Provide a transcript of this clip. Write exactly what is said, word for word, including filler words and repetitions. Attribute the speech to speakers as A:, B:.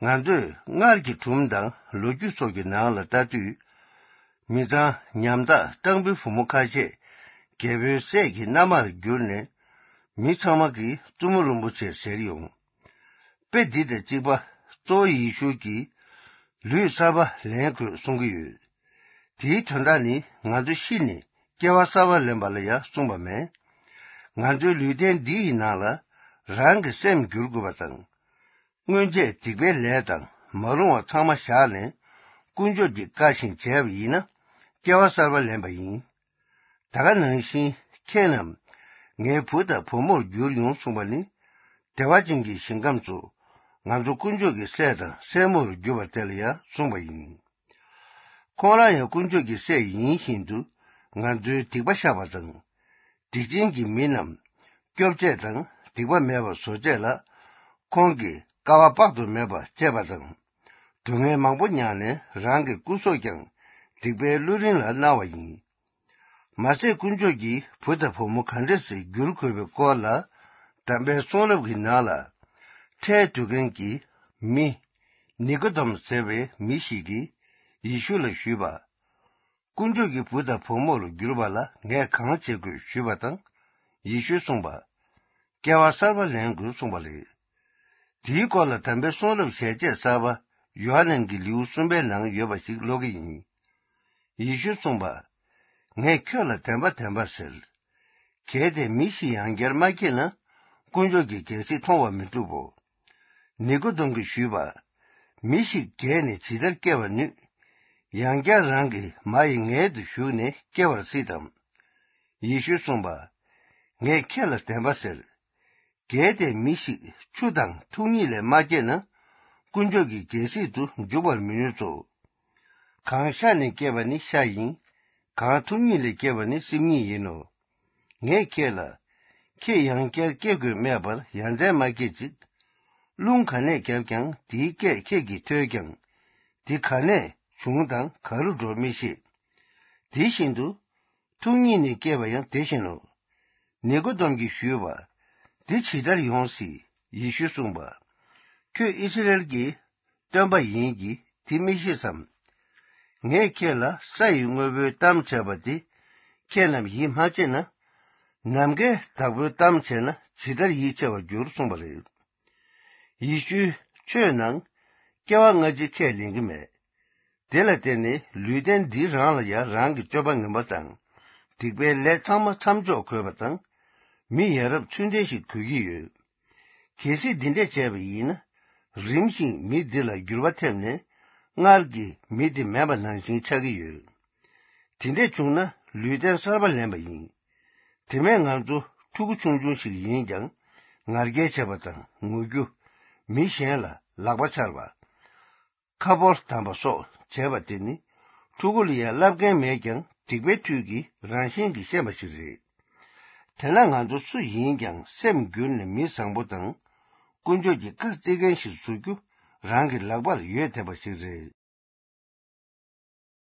A: ང་ཚོས་སྔར་གྱི་སྒྲུང་དང་ལོ་རྒྱུས་སོགས་ཀྱི་ནང་ལ་ལྟ་དུས། མི་ཚང་ཉམ་ཐག་སྤྲང་པོའི་བུ་མོ་ཁ་ཤས་རྒྱལ་པོའི་སྲས་ཀྱི་མནའ་མར་གྱུར་ནས། མི་ཚང་མ་གིས་བཙུན་མོ་རིན་པོ་ཆེ་ཟེར་ཡོང། དཔེ་འདི་དང་གཅིག་པ་གཙོ་བོ་ཡེ་ཤུ་གིས་ལུས་གསར་པ་ལེན་དགོས་གསུང་གི་ཡོད། དེའི་དོན་དག་ནི་ང་ཚོ་ཤི་ནས་སྐྱེ་བ་གསར་པ་ལེན་པ་ལ་ཡང་གསུངས་པ་མེད། ང་ཚོའི་ལུས་རྟེན་འདི་ཡི་ནང་ལ་རང་གི་སེམས་བསྒྱུར་དགོས་པ་དང། སྔོན་ཆད་སྡིག་པའི་ལས་དང་མ་རུང་བ་ཚང་མ་བཞག་ནས་དཀོན་མཆོག་གི་བཀའ་བཞིན་བྱས་པ་ཡིན་ན་སྐྱེ་བ་གསར་པ་ལེན་པ་ཡིན། ད་ག་ནང་བཞིན་ཁྱེད་རྣམས་ངའི་བུ་དང་བུ་མོར་འགྱུར་ཡོང་གསུངས་པ་ནི། བདེ་བ་ཅན་གྱི་ཞིང་ཁམས་སུ་ང་ཚོ་དཀོན་མཆོག་གི་སྲས་དང་སྲས་མོར་འགྱུར་བ་དེ་ལ་ཡང་གསུངས་པ་ཡིན། ཁོང་རང་ཡང་དཀོན་མཆོག་གི་སྲས་ཡིན་བཞིན་དུ་ང་ཚོའི་སྡིག་པ་བཤགས་པ་དང། སྡིག་ཅན་གྱི་མི་རྣམས་སྐྱོབ་སྤྱད་དང་སྡིག་པ་མེད་པར་བཟོ་སྤྱད་ལ། ཁོང་གིས་དཀའ་བ་དཔག་ཏུ་མེད་པ་སྤྱད་པ་དང། སྡུག་བསྔལ་མང་པོ་མྱངས་ནས་རང་གི་སྐུ་སྲོག་ཀྱང་སྡིག་པའི་བླུ་རིན་ལ་གནང་བ་ཡིན། མ་ཟད་དཀོན་མཆོག་གི་བུ་དང་བུ་མོ་ག་འདྲ་ཞིག་འགྱུར་དགོས་པའི་སྐོར་ལ་དམ་པའི་གསུང་རབ་ཀྱི་ནང་ལ། ཁྲལ་བསྡུ་མཁན་གྱི་མི། ནི་ཀོ་དེམ་ཟེར་བའི་མི་ཞིག་གིས་ཡེ་ཤུ་ལ་ཞུས་པ། དཀོན་མཆོག་གི་བུ་དང་བུ་མོར་འགྱུར་བ་ལ་ངས་གང་བྱེད་དགོས་ཞུས་པ་དང། ཡེ་ཤུས་གསུངས་པ། སྐྱེ་བ་གསར་པ་ལེན་དགོས་གསུངས་པ་རེད། དེའི་སྐོར་ལ་དམ་པའི་གསུང་རབ་ཞལ་ཆད་གསར་པ་ཡོ་ཧ་ནན་གྱི་ལེའུ་གསུམ་པའི་ནང་ཡོད་པ་ཞིག་ཀློག་གི་ཡིན། ཡེ་ཤུས་གསུངས་པ། ངས་ཁྱོད་ལ་བདེན་པ་བདེན་པ་ཟེར། གལ་ཏེ་མི་ཞིག་ཡང་བསྐྱར་མ་སྐྱེས་ན་དཀོན་མཆོག་གི་རྒྱལ་སྲིད་མཐོང་བར་མི་འགྲུབ་བོ། ནི་ཀོ་དེམ་གྱིས་ཞུས་པ། མི་ཞིག་རྒས་ནས་ཇི་ལྟར་སྐྱེ་བར་ནུས། ཡང་བསྐྱར་རང་གི་མ་ཡི་མངལ་དུ་ཞུགས་ནས་སྐྱེ་བར་སྲིད་དམ། ཡེ་ཤུས་གསུངས་པ། ངས་ཁྱེད་ལ་བདེན་པ་ཟེར། གལ་ཏེ་མི་ཞིག་ཆུ་དང་ཐུགས་ཉིད་ལས་མ་སྐྱེས་ན་དཀོན་མཆོག་གི་རྒྱལ་སྲིད་དུ་འཇུག་པར་མི་ནུས་སོ། གང་ཤ་ནས་སྐྱེས་པ་ནི་ཤ་ཡིན། གང་ཐུགས་ཉིད་ལས་སྐྱེས་པ་ནི་སེམས་ཉིད་ཡིན་ནོ། ངས་ཁྱེད་ལ། ཁྱེད་ཡང་བསྐྱར་སྐྱེ་དགོས་སྨྲས་པར་ཡ་མཚན་མ་སྐྱེད་ཅིག། རླུང་ག་ནས་བརྒྱབ་ཀྱང་དེའི་སྐད་ཁྱེད་ཀྱིས་ཐོས་ཀྱང། དེ་ག་ནས་བྱུང་དང་ག་རུ་འགྲོ་མི་ཤེས། དེ་བཞིན་དུ། ཐུགས་ཉིད་ནས་སྐྱེས་པ་ཡང་དེ་བཞིན་ནོ། ནི་ཀོ་དེམ་གྱིས་ཞུས་པ། འདི་ཇི་ལྟར་ཡོང་སྲིད་ཡེ་ཤུས་གསུངས་པ། ཁྱོད་ཨིསི་རཱཨེལ་གྱི་སྟོན་པ་ཡིན་གྱི་དེ་མི་ཤེས་སམ། ངས་ཁྱེད་ལ་ས་ཡི་དངོས་པོའི་གཏམ་བྱས་པ་དེ་ཁྱེད་རྣམས་ཡིད་མ་ཆེས་ན། ནམ་མཁའི་བདག་པོའི་གཏམ་བྱས་ན་ཇི་ལྟར་ཡིད་ཆེས་པར་འགྱུར་གསུངས་པ་རེད། ཡེ་ཤུའི་ཆོས་ནང་སྐྱེ་བ་སྔ་ཕྱི་ཁས་ལེན་གྱི་མེད། དེ་ལ་བརྟེན་ནས་ལུས་རྟེན་འདི་རང་ལ་ཡང་རང་གི་སྤྱོད་པ་ངན་པ་དང་སྡིག་པའི་ལས་ཚང་མ་མཚམས་འཇོག་དགོས་པ་དང། མི་ཡ་རབས་ཚུལ་ལྡན་ཞིག་དགོས་ཀྱི་ཡོད། གལ་སྲིད་འདི་འདྲས་བྱས་པ་ཡིན་ན། རིམ་བཞིན་མི་འདི་ལ་འགྱུར་བ་ཐེབས་ནས་སྔར་གྱི་མི་དེ་མེད་པ་ནང་བཞིན་ཆགས་ཀྱི་ཡོད། དེ་འདྲས་བྱུང་ན་ལུས་རྟེན་གསར་པ་ལེན་པ་ཡིན། དེ་མིན་ང་ཚོ་ཕྲུ་གུ་ཆུང་ཆུང་ཞིག་ཡིན་ཀྱང་ང་རྒྱལ་བྱེད་པ་དང་ངུ་རྒྱུ། མི་གཞན་ལ་ལག་པ་འཕྱར་བ། ཁ་ཕོར་བསྡམས་པ་སོགས་བྱས་པ་དེ་ནི་ཕྲུ་གུ་ལ་ཡང་བསླབ་མཁན་མེད་ཀྱང་སྡིག་པའི་མཐུ་གིས་རང་བཞིན་གྱིས་ཤེས་པ་ཞིག་རེད། དེས་ན་ང་ཚོ་སུ་ཡིན་ཀྱང་སེམས་བསྒྱུར་ནས་མི་བཟང་པོ་དང་དཀོན་མཆོག་གི་བཀའ་བརྩི་མཁན་ཞིག་བཟོ་རྒྱུ་རང་གི་ལག་པར་ཡོད་བསྡད་པ་ཞིག་རེད།